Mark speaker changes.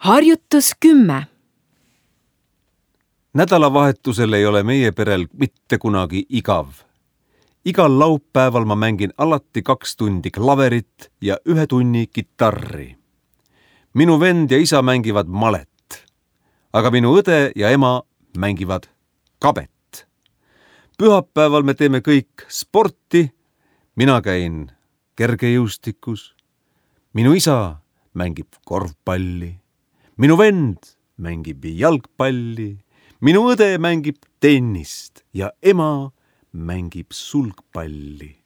Speaker 1: Harjutus 10.
Speaker 2: Nädalavahetusel ei ole meie perel mitte kunagi igav. Igal laupäeval ma mängin alati 2 tundi klaverit ja 1 tunni kitarri. Minu vend ja isa mängivad malet, aga minu õde ja ema mängivad kabet. Pühapäeval me teeme kõik sporti, mina käin kergejõustikus, minu isa mängib korvpalli, minu vend mängib jalgpalli, minu õde mängib tennist ja ema mängib sulgpalli.